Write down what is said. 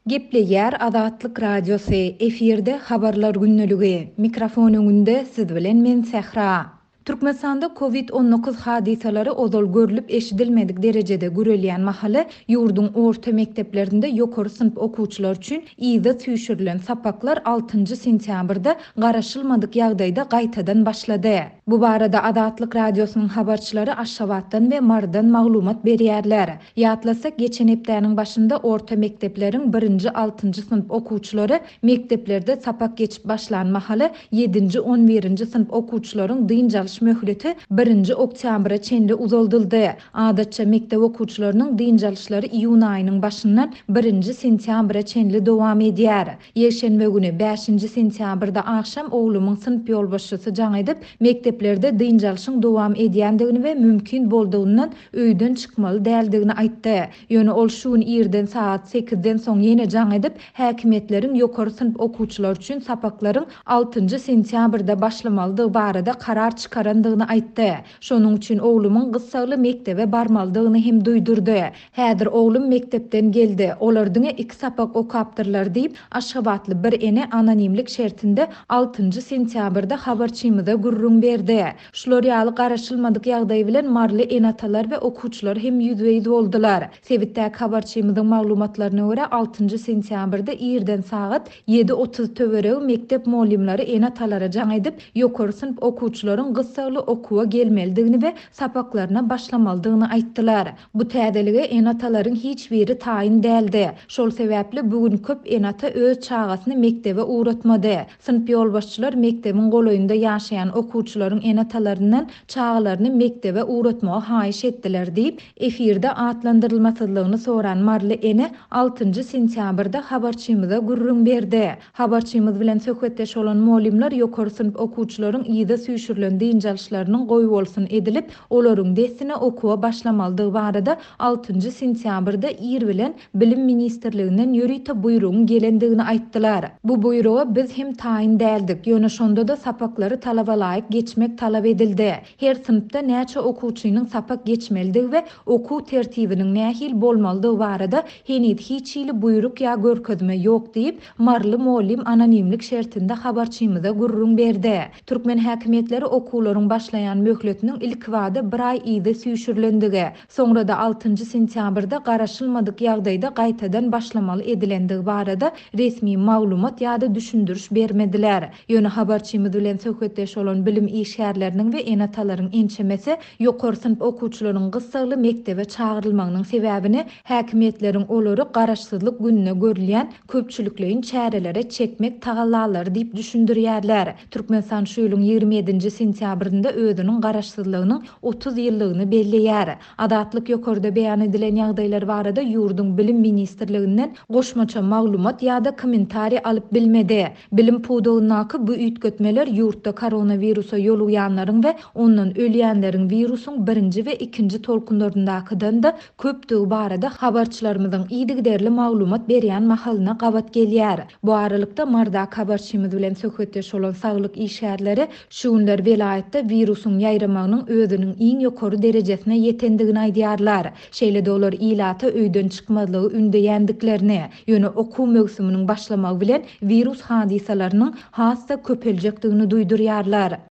Gepleýär Azatlyk Radiosy, efirde Habarlar gündeligi. Mikrofon öňünde siz bilen men Sähra. Türkmenistanda Covid 19 hadysalary ozal görlüp-eşidilmedik derejede gürelýän mahaly, ýurduň orta mekdeplerinde ýokary synp okuwçylary üçin yza süýşürilen sapaklar altynjy sentýabrda garaşylmadyk ýagdaýda gaýtadan başlady. Bu barada Azatlyk Radiosynyň habarçylary Aşgabatdan we Marydan maglumat berýärler. Ýatlasak, geçen hepdäniň başynda orta mekdepleriň birinji-altynjy synp okuwçylary mekdeplerde sapak geçip başlan mahaly, ýedinji-on birinji synp okuwçylaryň dynç alyş möhleti birinji oktýabra çenli uzaldyldy. Adatça, mekdep okuwçylarynyň dynç alyşlary iýun aýynyň başyndan birinji sentýabra çenli dowam edýär. Ýekşenbe güni, bäşinji sentýabrda agşam oglumyň synp ýolbaşçysy jaň edip, mekdeplerde dynç alşyň dowam edýändigini we mümkin boldugyndan öýden çykmaly däldigini aýtdy. Ýöne ol şu gün irden sagat sekizden soň ýene jaň edip, häkimiýetleriň ýokary synp okuwçylary üçin sapaklaryň altynjy sentýabrda başlamalydygy barada karar çykarandygyny aýtdy. Şonuň üçin oglumyň gyssagly mekdebe barmalydygyny hem duýdurdy. Häzir oglum mekdepden geldi. Olar diňe iki sapak okapdyrlar diýip, aşgabatly bir ene anonimlik şertinde altynjy sentýabrda habarçymyza gürrüň berdi. Şular ýaly garaşylmadyk ýagdaý bilen maryly ene-atalar we okuwçylar hem ýüzbe-ýüz boldular. Sebitdäki habarçymyzyň maglumatlaryna görä, altynjy sentýabrda irden sagat 7:30 töweregi mekdep mugallymlary ene-atalara jaň edip, ýokary synp okuwçylaryň gyssagly okuwa gelmelidigini we sapaklaryna başlamalydygyny aýtdylar. Bu täzelige ene-atalaryň hiç biri taýyn däldi. Şol sebäpli bu gün köp ene-ata öz çagasyny mekdebe ugratmady. Synp ýolbaşçylar mekdebiň golaýynda ýaşaýan okuwçylaryň ene-atalaryndan çagalaryny mekdebe ugratmagy haýyş etdiler diýip, efirde atlandyrylmasyzlygyny soran maryly ene altynjy sentýabrda habarçymyza gürrüň berdi. Habarçymyz bilen söhbetdeş bolan mugallymlar ýokary synp okuwçylaryň yza süýşürilen dynç alyşlarynyň goýbolsun edilip, olaryň dessine okuwa başlamalydygy barada altynjy sentýabrda ir bilen Bilim ministrliginden ýörite buýrugyň gelendigini aýtdylar. Bu buýruga biz hem taýyn däldik, ýöne şonda-da sapaklary talabalaýyk geçmek talap edildi. Her synpda näçe okuwçynyň sapak geçmelidigi we okuw tertibiniň nähili bolmalydygy barada heniz hiç hili buýruk ýa görkezme ýok diýip, maryly mugallym anonimlik şertinde habarçymyza gürrüň berdi. Türkmen häkimiýetleri okuwlaryň başlaýan möhletiniň ilkibada bir aý yza süýşürilendigi, Soňra-da altynjy sentýabrda garaşylmadyk ýagdaýda gaýtadan başlamaly edilendigi barada resmi maglumat ýa-da düşündiriş bermediler. Ýöne habarçymyz bilen söhbetdeş bolan bilim işgärleriniň we ene-atalaryň ençemesi ýokary synp okuwçylaryň gyssagly mekdebe çagyrylmagynyň sebäbini häkimiýetleriň olary Garaşsyzlyk gününe görülýän köpçülikleýin çärelere çekmek tagallalary diýip düşündirýärler. Türkmenistan şu ýylyň 27-nji sentýabrynda özüniň Garaşsyzlygynyň 30 ýyllygyny belleýär. Azatlyk ýokarda beýan edilen ýagdaýlar barada ýurduň Bilim ministrliginden goşmaça maglumat ýa-da kommentariý alyp bilmedi. Bilim pudagyndaky bu üýtgetmeler ýurtda koronawirusa ýolugýanlaryň we ondan ölýänleriň wirusyň birinji we ikinji tolkunlaryndakydan-da köpdügi barada habarçylarymyzyň yzygiderli maglumat berýän mahalyna gabat gelýär. Bu aralykda, Mardak habarçymyz bilen söhbetdeş bolan saglyk işgärleri şu günler welaýatda wirusyň ýaýramagynyň özüniň iň ýokary derejesine ýetendigini aýdýarlar. Şeýle-de olar ilata öýden çykmazlygy ündeýändiklerini, ýöne okuw möwsüminiň başlamagy bilen wirus hadysalarynyň has-da köpeljekdigini duýdurýarlar.